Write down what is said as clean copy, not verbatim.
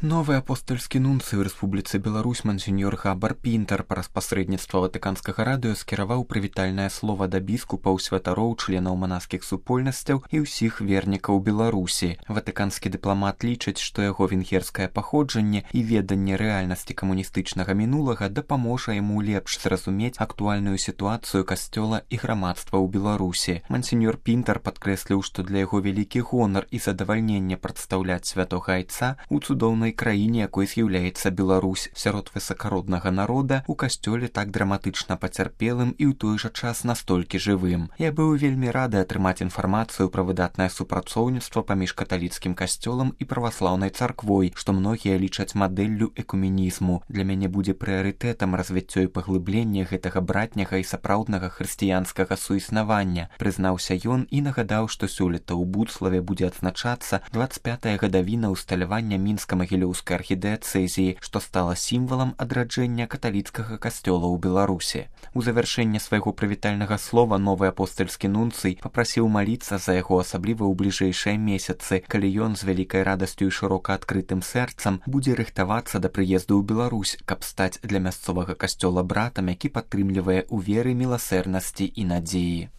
Новы апостольскі нунцый ў Рэспубліцы Беларусь мансеньор Габар Пінтер праз пасрэдніцтва ватыканскага радыё скіраваў прывітальнае слова да біскупаў, святароў, членаў манаскіх супольнасцяў і ўсіх вернікаў Беларусі. Ватыканскі дыпламат лічыць, што яго венгерскае паходжанне і веданне рэальнасці камуністычнага мінулага дапаможа яму лепш зразумець актуальную сітуацыю касцёла і грамадства ў Беларусі. Мансеньор Пінтер падкрэсліў, што для яго вялікі гонар і задавальненне прадстаўляць святога айца ў цудоўнай краіне, якой з'яўляецца Беларусь, сярод высакароднага народа, у касцёле так драматычна пацярпелым і ў той жа час настолькі жывым. Я быў вельмі рады атрымаць інфармацыю пра выдатнае супрацоўніцтва паміж каталіцкім касцёлам і праваслаўнай царквой, што многія лічаць мадэллю экуменізму. Для мяне будзе прыярытэтам развіццё і паглыбленне гэтага братняга і сапраўднага хрысціянскага суіснавання, прызнаўся ён і нагадаў, што сёлета ў Буцлаве будзе адзначацца 25-я гадавіна ўсталявання мінска-магілёўскай архідыяцэзіі, што стала сімвалам адраджэння каталіцкага касцёла ў Беларусі. У завяршэнне свайго прывітальнага слова новы апостальскі нунцый папрасіў маліцца за яго, асабліва ў бліжэйшыя месяцы, калі ён з вялікай радасцю і шырока адкрытым сэрцам будзе рыхтавацца да прыезду ў Беларусь, каб стаць для мясцовага касцёла братам, які падтрымлівае ў веры, міласэрнасці і надзеі.